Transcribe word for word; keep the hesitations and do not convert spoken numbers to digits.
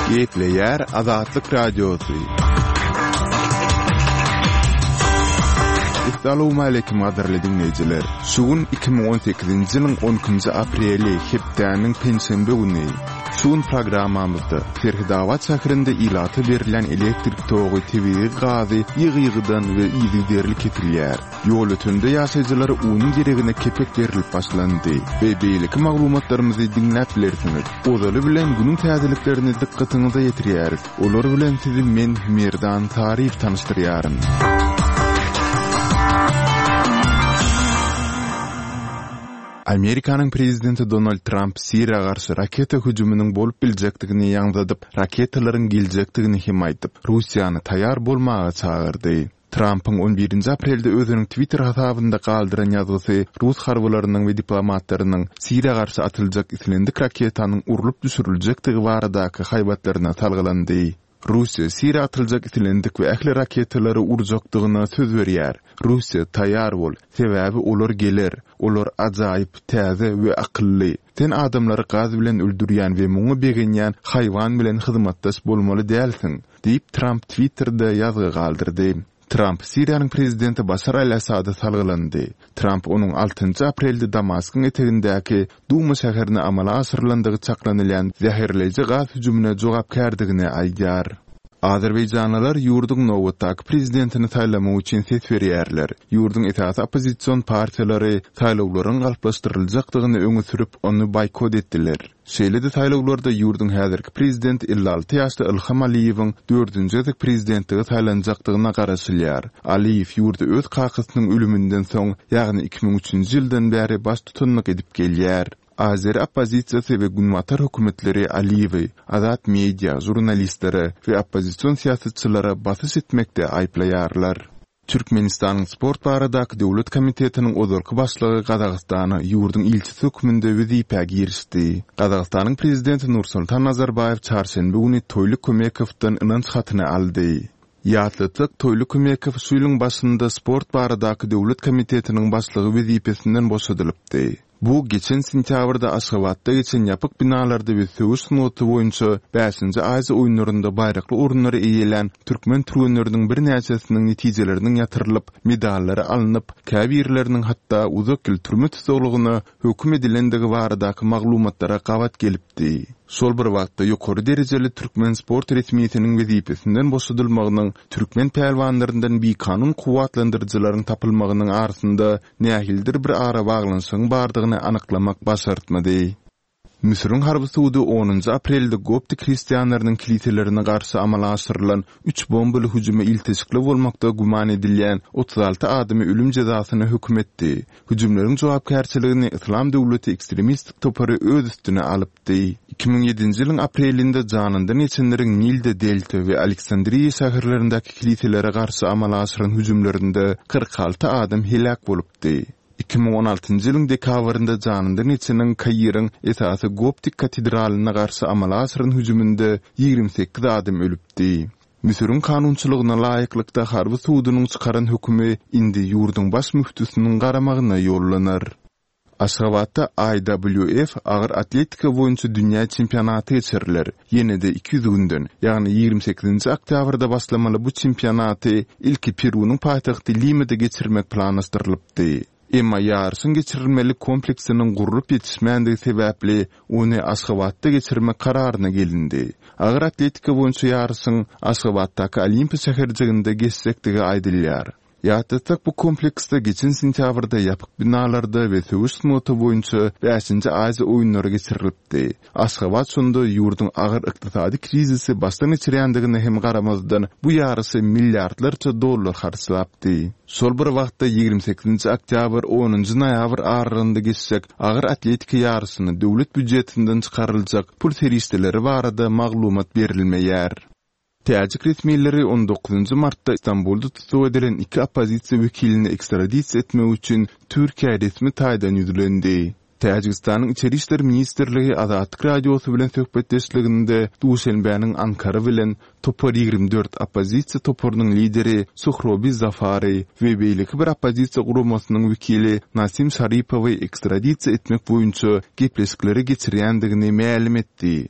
Gepleýär Azatlyk Radiosy. Essalawmaleýkim gadyrly diňleýjiler! Şu gün iki müň on sekizinji ýylyň on ikinji apreli, hepdäniň penşenbe güni. Şu gün programmamyzda Serhetabat şäherinde ilata berilýän elektrik togy, tebigy gazy ýygy-ýygydan we yzygiderli kesilýär. Ýolötende ýaşaýjylara unuň deregine kepek berlip başlandy we beýleki maglumatlarymyzy diňläp bilersiňiz. Ozaly bilen günüň täzeliklerini dykgatyňyza ýetirýäris. Olar bilen sizi men Merdan Saryýew tanyşdyrýaryn. Amerikanyň prezidenti Donald Tramp Siriýa garşy raketa hüjüminiň bolup biljekdigini ýaňzydyp, raketalaryň geljekdigini hem aýdyp, Russiýany taýýar bolmaga çagyrdy. Trampyň on birinji aprelde özüniň Twitter hasabynda galdyran ýazgysy rus harbylarynyň we diplomatlarynyň Siriýa garşy atyljak islendik raketanyň urlup düşüriljekdigi baradaky haýbatlaryna salgylandy. Russiýa Siriýa atyljak islendik we ähli raketalary urjakdygyna söz berýär. Russiýa, taýýar bol, sebäbi olar geler. Olar ajaýyp, täze we akylly. Sen adamlary gaz bilen öldürýän we muňa begenýän haýwan bilen hyzmatdaş bolmaly dälsiň, diýip, Tramp Twitterde ýazgy galdyrdy. Tramp Siriýanyň prezidenti Başar al-Assada salgylandy. Tramp onuň altynjy aprelde Damaskyň etegindäki Duma şäherine amala aşyrylandygy çaklanylýan zäherleýji gaz hüjümine jogapkärdigini aýdýar. Azerbaýjanlylar ýurduň nobatdaky prezidentini saýlamak üçin ses berýärler. Ýurduň esasy oppozision partiýalary saýlawlaryň galplaşdyryljakdygyny öňe sürüp, ony boýkot etdiler. Şeýle-de saýlawlarda ýurduň häzirki prezidenti elli alty ýaşly Ilham Aliýewiň dördünji gezek prezidentlige saýlanjakdygyna garaşylýar. Aliýew ýurda öz kakasynyň ölüminden soň, ýagny iki müň üçünji ýyldan bäri baştutanlyk edip gelýär. Azeri oppozisiýasy we günbatar hökümetleri Aliýewi azat media, žurnalistlere we oppozision syýasatçylara basyş etmekde aýyplaýarlar. Türkmenistanyň Sport baradaky döwlet komitetiniň ozalky başlygy Gazagystana ýurduň ilçisi hökmünde wezipä girişdi. Gazagystanyň prezidenti Nursultan Nazarbaýew çarşenbe güni Toýly Kömekowdan ynanç hatyny aldy. Ýatlatsak, Toýly Kömekow şu ýylyň başynda Sport baradaky döwlet komitetiniň başlygy wezipesinden boşadylypdy. Bu geçen sentýabrda Aşgabatda geçen ýapyk binalarda we söweş sungaty boýunça bäşinji Aziýa oýunlarynda baýrakly orunlary eýelän türkmen türgenleriniň birnäçesiniň netijeleriniň ýatyrylyp, medallary alnyp, käbirleriniň hatda uzak ýyl türme tussaglygyna höküm edilendigi baradaky maglumatlara gabat gelipdi. Şol bir wagtda ýokary derejeli türkmen sport resmisiniň wezipesinden boşadylmagynyň türkmen pälwanlaryndan bikanun kuwwatlandyryjylaryň tapylmagynyň arasynda nähilidir bir arabaglanyşygyň bardygyny anyklamak başartmady. Müsüriň harby sudy onunjy aprelde koptik hristianlarynyň kiliselerine garşy amala aşyrylan üç bombaly hüjüme ilteşikli bolmakda güman edilýän otuz alty adamy ölüm jezasyna höküm etdi. Hüjümleriň jogapkärçiligini Yslam döwleti ekstremistik topary öz üstüne alypdy. Iki müň ýedinji ýylyň aprelinde janyndan geçenleriň Nilde Delta we Aleksandriýa şäherlerindäki kiliselere garşy amala aşyran hüjümlerinde kyrk alty adam heläk bolupdy. Iki müň on altynjy ýylyň dekabrynda janyndan geçeniň Kairiň esasy goptik katedralyna garşy amala aşyran hüjüminde ýigrimi sekiz adam ölüpdi. Müsüriň kanunçylygyna laýyklykda harby sudunyň çykaran hökümi indi ýurduň baş müftüsiniň garamagyna ýollanar. Aşgabatda I W F agyr atletika boýunça dünýä çempionaty geçiriler. Ýene-de iki ýüz günden, ýagny ýigrimi sekizinji oktýabrda başlamaly bu çempionaty ilki Perunyň paýtagty Limada geçirmek planlaşdyrylypdy. Emma ýaryşyň geçirilmeli kompleksiniň gurlup ýetişmändigi sebäpli ony Aşgabatda geçirmek kararyna gelindi. Agyr atletika boýunça ýaryşyň Aşgabatdaky Olimpiýa şäherjiginde geçjekdigi aýdylýar. Ýatlatsak, bu kompleksde geçen sentýabrda ýapyk binalarda we söweş sungaty boýunça bäşinji Aziýa oýunlary geçirilipdi. Aşgabat şonda ýurduň agyr ykdysady krizisi başdan geçirýändigine hem garamazdan bu ýaryşa milliardlarça dollar harçlapdy. Şol bir wagtda ýigrimi sekizinji oktýabr onunjy noýabr aralygynda geçjek agyr atletika ýaryşyna döwlet býujetinden çykaryljak pul serişdeleri barada maglumat berilmeýär. Täjik resmileri on dokuzynjy martda Istanbulda tussag edilen iki oppozisiýa wekilini ekstradisiýa etmek üçin Türkiýä resmi taýdan ýüzlendi. Täjigistanyň Içeri işler ministrligi Azatlyk Radiosy bilen söhbetdeşliginde Duşenbäniň Ankara bilen Topar ýigrimi dört oppozisiýa toparynyň lideri Suhrobi Zafary we beýleki bir oppozisiýa guramasynyň wekili Nasim Şaripowy ekstradisiýa etmek boýunça gepleşikleri geçirýändigini mälim etdi.